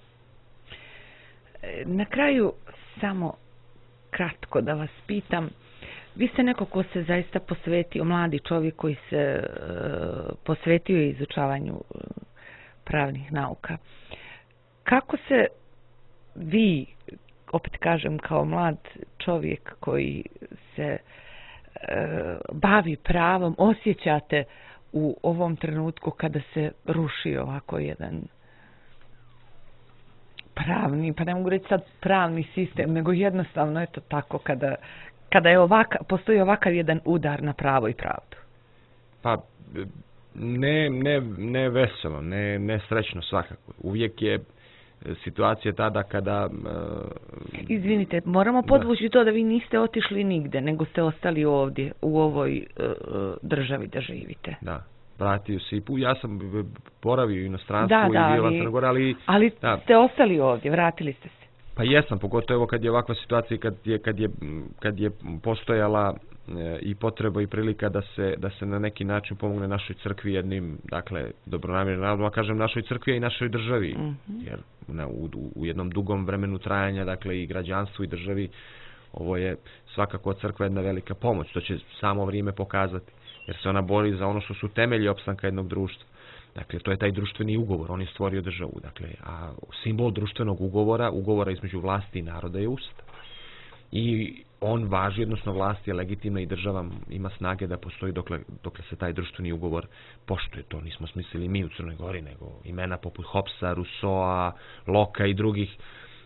Na kraju samo kratko da vas pitam, vi ste neko ko se zaista posvetio, mladi čovjek koji se uh, posvetio izučavanju uh, pravnih nauka. Kako se vi, opet kažem kao mlad čovjek koji se uh, bavi pravom, osjećate u ovom trenutku kada se ruši ovako jedan pravni, pa ne mogu reći sad pravni sistem, nego jednostavno eto tako kada, kada je ovaka, postoji ovakav jedan udar na pravo i pravdu? Pa ne, ne, ne veselo, ne, ne srećno svakako. Uvijek je situacija tada kada... Uh, Izvinite, moramo podvući da. to da vi niste otišli nigde, nego ste ostali ovdje, u ovoj uh, državi da živite. Da. Vratio se i pu, ja sam boravio u inostranstvu da, i da, bio ali, Crnoj Gori, ali... Ali da. ste ostali ovdje, vratili ste se. Pa jesam, pogotovo kad je ovakva situacija, kad je, kad je, kad je postojala e, i potreba i prilika da se, da se na neki način pomogne našoj crkvi jednim, dakle, dobronamjernim narodom, a kažem našoj crkvi i našoj državi, mm-hmm. jer na, u, u jednom dugom vremenu trajanja, dakle, i građanstvu i državi, ovo je svakako crkva jedna velika pomoć, to će samo vrijeme pokazati. Jer se ona bori za ono što su temelji opstanka jednog društva. Dakle, to je taj društveni ugovor, on je stvorio državu. Dakle, a simbol društvenog ugovora, ugovora između vlasti i naroda je Ustav. I on važi, odnosno vlast je legitimna i država ima snage da postoji dokle, dokle se taj društveni ugovor poštuje. To nismo smislili mi u Crnoj Gori, nego imena poput Hobbesa, Rousseaua, Locke i drugih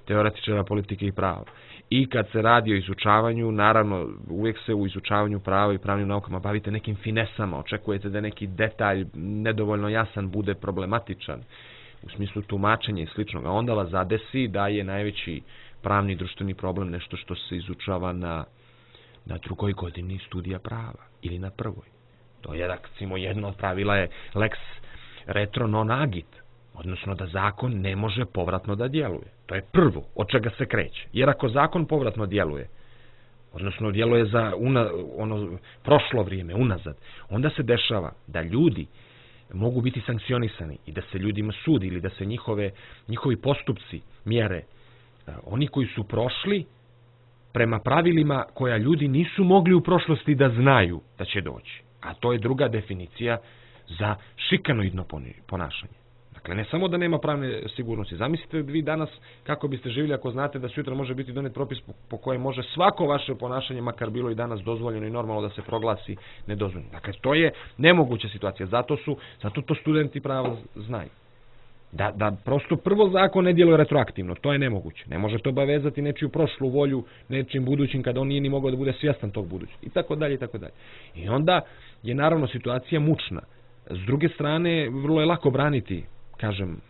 teoretičara politike i prava. I kad se radi o izučavanju, naravno, uvijek se u izučavanju prava i pravnim naukama bavite nekim finesama, očekujete da neki detalj nedovoljno jasan bude problematičan u smislu tumačenja i sličnog, a onda vas zadesi da je najveći pravni i društveni problem nešto što se izučava na, na drugoj godini studija prava ili na prvoj. To je, recimo, jedno od pravila je lex retro non agit, odnosno da zakon ne može povratno da djeluje. To je prvo od čega se kreće. Jer ako zakon povratno djeluje, odnosno djeluje za una, ono prošlo vrijeme, unazad, onda se dešava da ljudi mogu biti sankcionisani i da se ljudima sudi ili da se njihove, njihovi postupci mjere. Oni koji su prošli prema pravilima koja ljudi nisu mogli u prošlosti da znaju da će doći. A to je druga definicija za šikanoidno ponašanje. Dakle, ne samo da nema pravne sigurnosti. Zamislite vi danas kako biste živjeli ako znate da sutra može biti donet propis po, po kojem može svako vaše ponašanje, makar bilo i danas dozvoljeno i normalno, da se proglasi nedozvoljeno. Dakle, to je nemoguća situacija. Zato su, zato to studenti prava znaju. Da, da prosto prvo zakon ne djeluje retroaktivno, to je nemoguće. Ne može to obavezati nečiju prošlu volju, nečim budućim kada on nije ni mogao da bude svjestan tog budućeg. I tako dalje, i tako dalje. I onda je naravno situacija mučna. S druge strane, vrlo je lako braniti, kažem,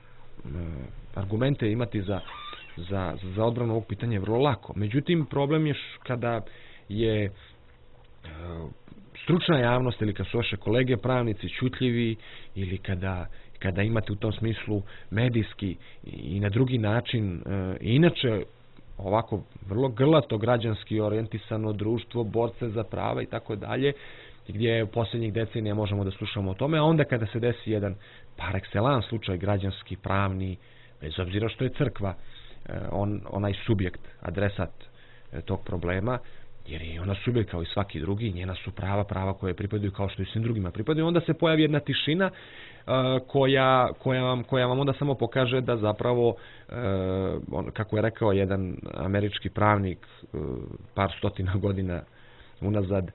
argumente imati za, za, za odbranu ovog pitanja je vrlo lako. Međutim, problem je kada je stručna javnost ili kad su vaše kolege pravnici čutljivi ili kada kada imate u tom smislu medijski i na drugi način, inače ovako vrlo grlato građanski orijentisano društvo, borce za prava i tako dalje, gdje u posljednjih decenija možemo da slušamo o tome, a onda kada se desi jedan par excellence slučaj građanski, pravni, bez obzira što je crkva on, onaj subjekt, adresat tog problema, jer je ona subjekt kao i svaki drugi, njena su prava, prava koje pripadaju kao što i svim drugima pripadaju, onda se pojavi jedna tišina koja, koja, vam, koja vam onda samo pokaže da zapravo, kako je rekao jedan američki pravnik par stotina godina unazad,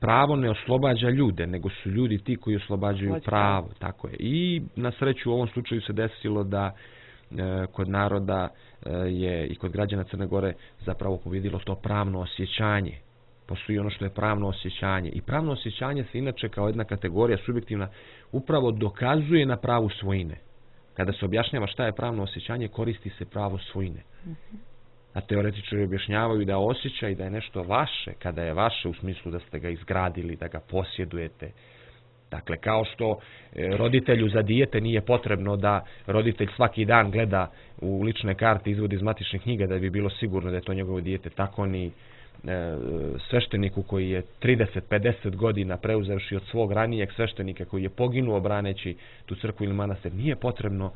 pravo ne oslobađa ljude, nego su ljudi ti koji oslobađaju pravo. Tako je. I na sreću u ovom slučaju se desilo da kod naroda je i kod građana Crne Gore zapravo pobjedilo to pravno osjećanje. Postoji ono što je pravno osjećanje. I pravno osjećanje se inače kao jedna kategorija subjektivna upravo dokazuje na pravu svojine. Kada se objašnjava šta je pravno osjećanje, koristi se pravo svojine. A teoretičari objašnjavaju da osjećaj da je nešto vaše, kada je vaše u smislu da ste ga izgradili, da ga posjedujete. Dakle, kao što roditelju za dijete nije potrebno da roditelj svaki dan gleda u lične karte, izvodi iz matičnih knjiga da bi bilo sigurno da je to njegovo dijete, tako ni svešteniku koji je trideset pedeset godina preuzevši od svog ranijeg sveštenika koji je poginuo braneći tu crkvu ili manastir, nije potrebno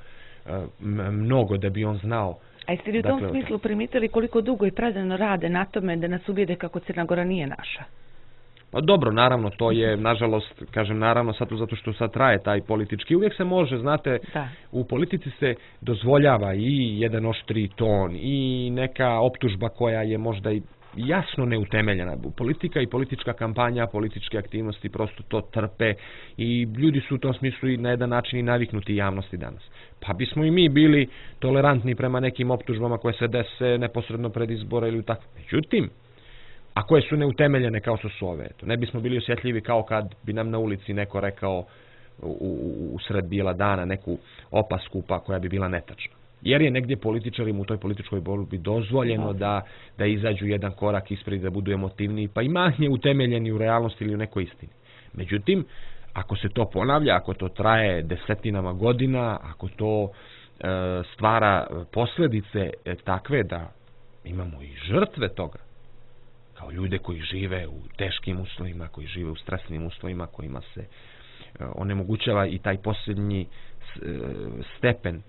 mnogo da bi on znao. A jeste li u tom dakle, smislu primitili koliko dugo i predano rade na tome da nas ubijede kako Crna Gora nije naša? Pa dobro, naravno, to je, nažalost, kažem naravno, sad zato što sad traje taj politički, uvijek se može, znate, da. U politici se dozvoljava i jedan oštri ton i neka optužba koja je možda i jasno neutemeljena. Politika i politička kampanja, političke aktivnosti prosto to trpe i ljudi su u tom smislu i na jedan način i naviknuti javnosti danas. Pa bismo i mi bili tolerantni prema nekim optužbama koje se dese neposredno pred izbora ili tako. Međutim, a koje su neutemeljene kao što su ove. To ne bismo bili osjetljivi kao kad bi nam na ulici neko rekao u, u, u sred bijela dana neku opasku pa koja bi bila netačna. Jer je negdje političarima u toj političkoj borbi dozvoljeno da, da izađu jedan korak ispred, da budu emotivniji, pa i manje utemeljeni u realnosti ili u nekoj istini. Međutim, ako se to ponavlja, ako to traje desetinama godina, ako to e, stvara posljedice e, takve da imamo i žrtve toga, kao ljude koji žive u teškim uslovima, koji žive u stresnim uslovima, kojima se e, onemogućava i taj posljednji e, stepen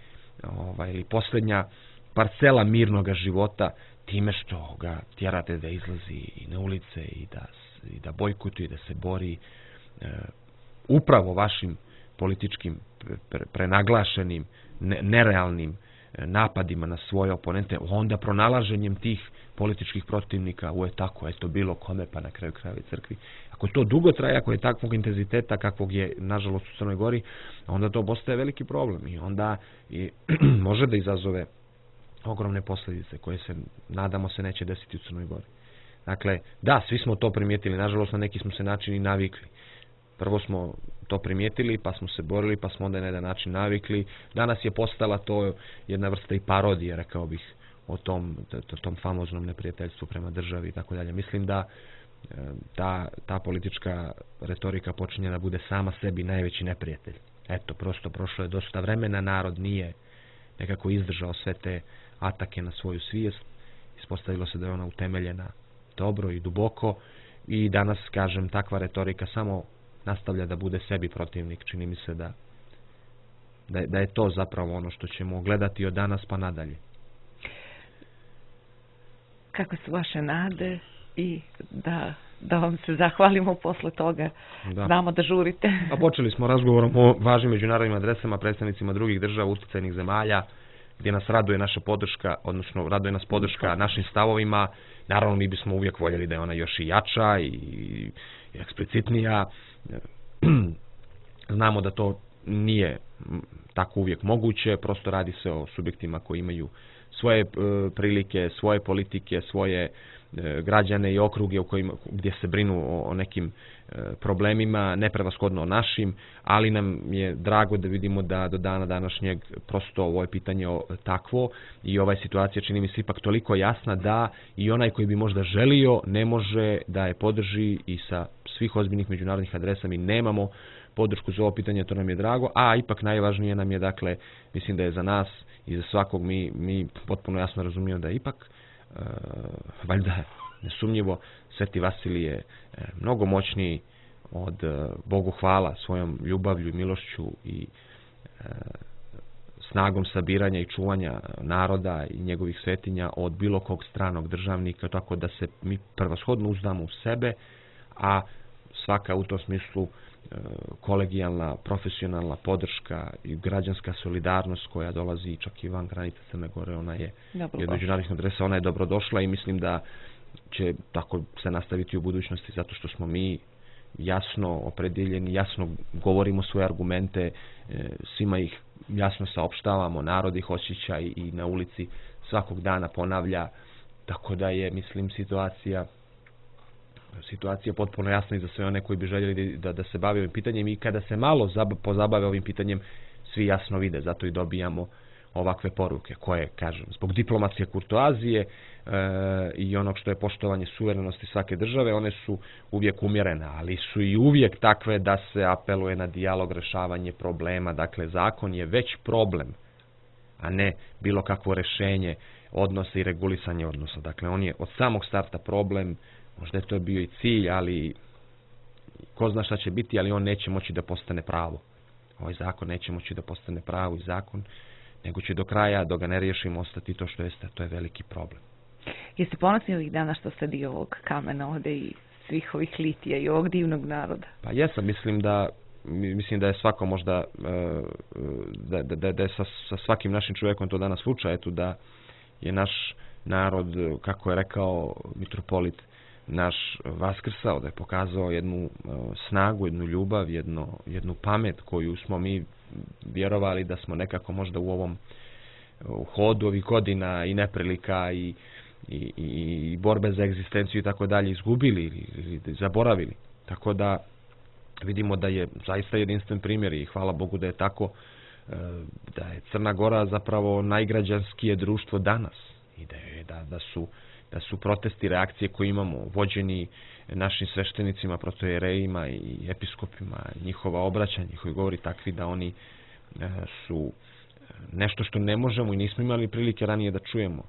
ovaj, ili posljednja parcela mirnoga života time što ga tjerate da izlazi i na ulice i da, i da bojkotuje, da se bori e, upravo vašim političkim pre, prenaglašenim, ne, nerealnim napadima na svoje oponente, onda pronalaženjem tih političkih protivnika u je tako, eto bilo kome, pa na kraju krajeva crkvi. Ako to dugo traje, ako je takvog intenziteta kakvog je nažalost u Crnoj Gori, onda to postaje veliki problem i onda i može da izazove ogromne posljedice koje se, nadamo se, neće desiti u Crnoj Gori. Dakle, da, svi smo to primijetili, nažalost na neki smo se način i navikli. Prvo smo to primijetili, pa smo se borili, pa smo onda na jedan način navikli. Danas je postala to jedna vrsta i parodija, rekao bih, o tom, tom famoznom neprijateljstvu prema državi i tako dalje. Mislim da ta, ta politička retorika počinje da bude sama sebi najveći neprijatelj. Eto, prosto prošlo je dosta vremena, narod nije nekako izdržao sve te atake na svoju svijest. Ispostavilo se da je ona utemeljena dobro i duboko i danas, kažem, takva retorika samo nastavlja da bude sebi protivnik. Čini mi se da, da, da je to zapravo ono što ćemo gledati od danas pa nadalje. Kako su vaše nade i da da vam se zahvalimo posle toga. Da. Znamo da žurite. A počeli smo razgovorom o važnim međunarodnim adresama, predstavnicima drugih država, uticajnih zemalja, gdje nas raduje naša podrška, odnosno raduje nas podrška našim stavovima. Naravno, mi bismo uvijek voljeli da je ona još i jača i, i eksplicitnija. Znamo da to nije tako uvijek moguće, prosto radi se o subjektima koji imaju svoje e, prilike, svoje politike, svoje e, građane i okruge u kojima, gdje se brinu o, o nekim e, problemima, neprevashodno o našim, ali nam je drago da vidimo da do dana današnjeg prosto ovo je pitanje takvo i ova situacija čini mi se ipak toliko jasna da i onaj koji bi možda želio ne može da je podrži i sa svih ozbiljnih međunarodnih adresa mi nemamo podršku za ovo pitanje, to nam je drago, a ipak najvažnije nam je, dakle, mislim da je za nas i za svakog mi, mi potpuno jasno razumijemo da je ipak, e, valjda nesumnjivo, Sveti Vasilije je mnogo moćniji od e, Bogu hvala svojom ljubavlju, milošću i e, snagom sabiranja i čuvanja naroda i njegovih svetinja od bilo kog stranog državnika, tako da se mi prvoshodno uzdamo u sebe, a svaka u tom smislu kolegijalna, profesionalna podrška i građanska solidarnost koja dolazi čak i van granica Crne Gore, ona je od međunarodnih adresa, ona je dobrodošla i mislim da će tako se nastaviti u budućnosti zato što smo mi jasno opredjeljeni, jasno govorimo svoje argumente, svima ih jasno saopštavamo, narod ih osjeća i na ulici svakog dana ponavlja, tako da je, mislim, situacija situacija potpuno jasna i za sve one koji bi željeli da, da se bave ovim pitanjem i kada se malo pozabave ovim pitanjem, svi jasno vide, zato i dobijamo ovakve poruke koje, kažem, zbog diplomatske kurtoazije e, i onog što je poštovanje suverenosti svake države, one su uvijek umjerene, ali su i uvijek takve da se apeluje na dijalog, rešavanje problema, dakle zakon je već problem, a ne bilo kakvo rešenje odnosa i regulisanje odnosa, dakle on je od samog starta problem. Možda je to bio i cilj, ali ko zna šta će biti, ali on neće moći da postane pravo. Ovaj zakon neće moći da postane pravo i zakon, nego će do kraja, dok ga ne riješimo, ostati to što jeste, to je veliki problem. Jeste ponosni ovih dana što ste dio ovog kamena ovde i svih ovih litija i ovog divnog naroda? Pa jesam, mislim da mislim da je svako možda da, da, da je sa, sa svakim našim čovjekom to danas slučaj, eto da je naš narod, kako je rekao mitropolit, naš vaskrsao, da je pokazao jednu snagu, jednu ljubav, jedno, jednu pamet koju smo mi vjerovali da smo nekako možda u ovom u hodu ovih godina i neprilika i, i, i borbe za egzistenciju i tako dalje izgubili ili, ili zaboravili. Tako da vidimo da je zaista jedinstven primjer i hvala Bogu da je tako, da je Crna Gora zapravo najgrađanskije društvo danas i da, je, da, da su da su protesti, reakcije koje imamo vođeni našim sveštenicima, protojerejima i episkopima, njihova obraćanja, njihovi govori takvi da oni su nešto što ne možemo i nismo imali prilike ranije da čujemo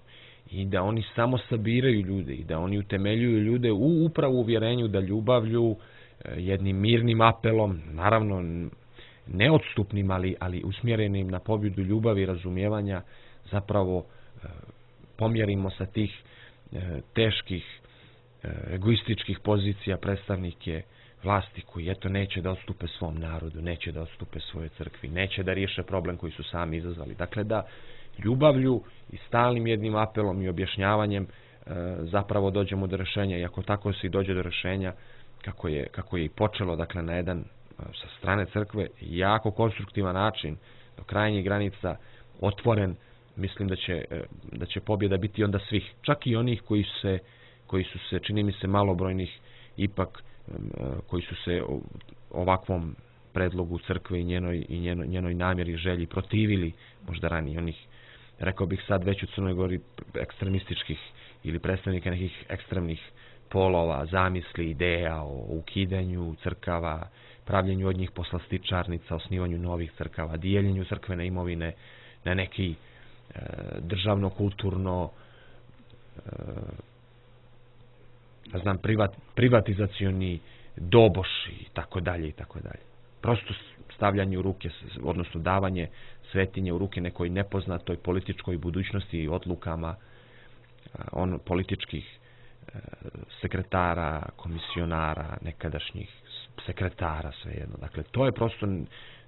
i da oni samo sabiraju ljude i da oni utemeljuju ljude u upravo uvjerenju da ljubavlju, jednim mirnim apelom, naravno neodstupnim, ali, ali usmjerenim na pobjedu ljubavi i razumijevanja, zapravo pomjerimo sa tih teških egoističkih pozicija predstavnike vlasti koji eto neće da odstupe svom narodu, neće da odstupe svojoj crkvi, neće da riješe problem koji su sami izazvali. Dakle, da ljubavlju i stalnim jednim apelom i objašnjavanjem zapravo dođemo do rješenja i ako tako se i dođe do rješenja kako je, kako je i počelo, dakle, na jedan sa strane crkve jako konstruktivan način do krajnjih granica otvoren, mislim da će, da će pobjeda biti onda svih, čak i onih koji se, koji su se, čini mi se, malobrojnih, ipak koji su se ovakvom predlogu crkve i njenoj, i njenoj, njenoj namjeri, želji protivili, možda ranije onih, rekao bih sad već u Crnoj Gori, ekstremističkih ili predstavnika nekih ekstremnih polova, zamisli, ideja o ukidanju crkava, pravljenju od njih poslastičarnica, osnivanju novih crkava, dijeljenju crkvene imovine na neki e, državno, kulturno, e, ne znam, privat, privatizacioni doboš i tako dalje i tako dalje. Prosto stavljanje u ruke, odnosno davanje svetinje u ruke nekoj nepoznatoj političkoj budućnosti i odlukama on političkih sekretara, komisionara, nekadašnjih sekretara, svejedno. Dakle, to je prosto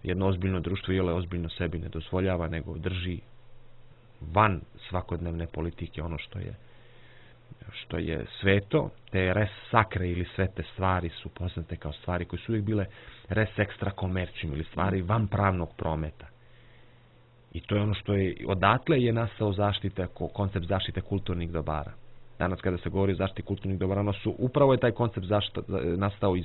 jedno ozbiljno društvo i ole ozbiljno sebi ne dozvoljava, nego drži van svakodnevne politike ono što je što je sveto. Te res sakre ili svete stvari su poznate kao stvari koje su uvijek bile res extra commercium ili stvari van pravnog prometa. I to je ono što je, odatle je nastao zaštita, koncept zaštite kulturnih dobara. Danas kada se govori o zaštiti kulturnih dobara, ono su, upravo je taj koncept zaštita nastao iz,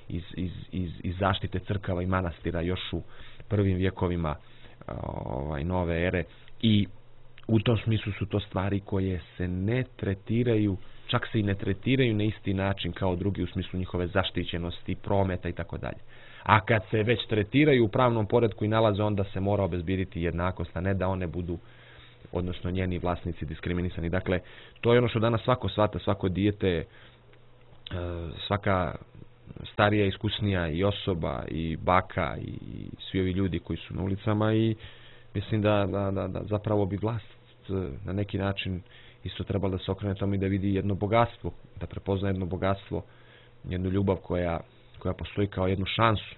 iz, iz, iz, iz zaštite crkava i manastira još u prvim vjekovima ovaj, nove ere i u tom smislu su to stvari koje se ne tretiraju, čak se i ne tretiraju na isti način kao drugi u smislu njihove zaštićenosti, prometa i tako dalje. A kad se već tretiraju u pravnom poretku i nalaze, onda se mora obezbjediti jednakost, a ne da one budu, odnosno njeni vlasnici, diskriminisani. Dakle, to je ono što danas svako shvata, svako dijete, svaka starija, iskusnija i osoba i baka i svi ovi ljudi koji su na ulicama i mislim da, da, da, da zapravo bi vlast na neki način isto trebalo da se okrene tome i da vidi jedno bogatstvo, da prepozna jedno bogatstvo, jednu ljubav koja, koja postoji kao jednu šansu,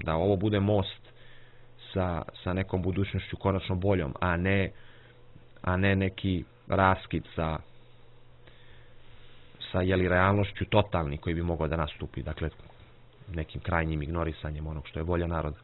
da ovo bude most sa, sa nekom budućnošću konačno boljom, a ne, a ne neki raskid sa, sa jeli, realnošću totalni koji bi mogao da nastupi, dakle nekim krajnjim ignorisanjem onog što je volja naroda.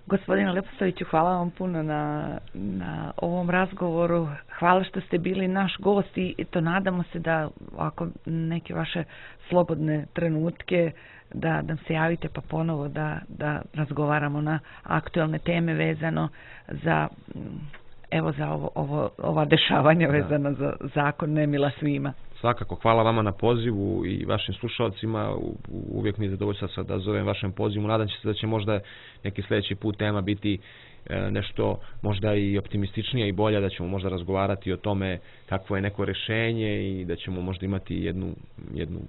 Gospodine Leposaviću, hvala vam puno na, na ovom razgovoru. Hvala što ste bili naš gost i to nadamo se da ako neke vaše slobodne trenutke da nam se javite pa ponovo da, da razgovaramo na aktualne teme vezano za evo za ovo, ovo, ova dešavanja vezana za zakon nemila svima. Svakako, hvala vama na pozivu i vašim slušalcima. Uvijek mi je zadovoljstvo da zovem vašem pozivu. Nadam se da će možda neki sljedeći put tema biti nešto možda i optimističnija i bolja, da ćemo možda razgovarati o tome kakvo je neko rješenje i da ćemo možda imati jednu, jednu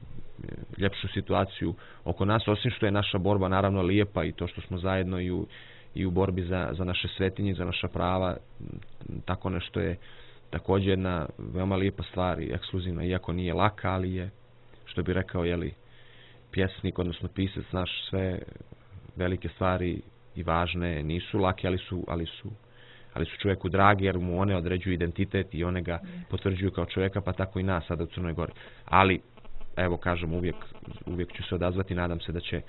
ljepšu situaciju oko nas, osim što je naša borba naravno lijepa i to što smo zajedno i u, i u borbi za, za naše svetinje, za naša prava, tako nešto je također jedna veoma lijepa stvar i ekskluzivna, iako nije laka, ali je, što bi rekao, jeli, pjesnik, odnosno pisac naš, sve velike stvari i važne nisu lake, ali su, ali su, ali su čovjeku dragi, jer mu one određuju identitet i one ga potvrđuju kao čovjeka, pa tako i nas sada u Crnoj Gori. Ali, evo kažem, uvijek, uvijek ću se odazvati, nadam se da će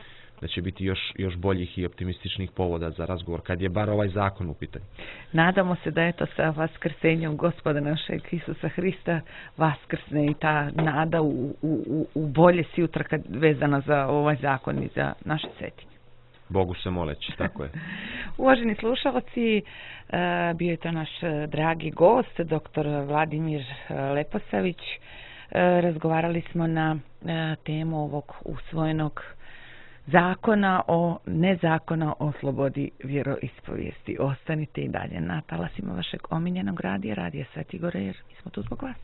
da će biti još, još boljih i optimističnih povoda za razgovor, kad je bar ovaj zakon u pitanju. Nadamo se da je to sa vaskrsenjem Gospoda našeg Isusa Hrista vaskrsne i ta nada u, u, u bolje sutra kad vezana za ovaj zakon i za naše svetinje. Bogu se moleći, tako je. Uvaženi slušalci, bio je to naš dragi gost, doktor Vladimir Leposavić. Razgovarali smo na temu ovog usvojenog zakona o nezakona o slobodi vjeroispovijesti. Ostanite i dalje na talasima vašeg omiljenog radija, Radija Svetigore, jer mi smo tu zbog vas.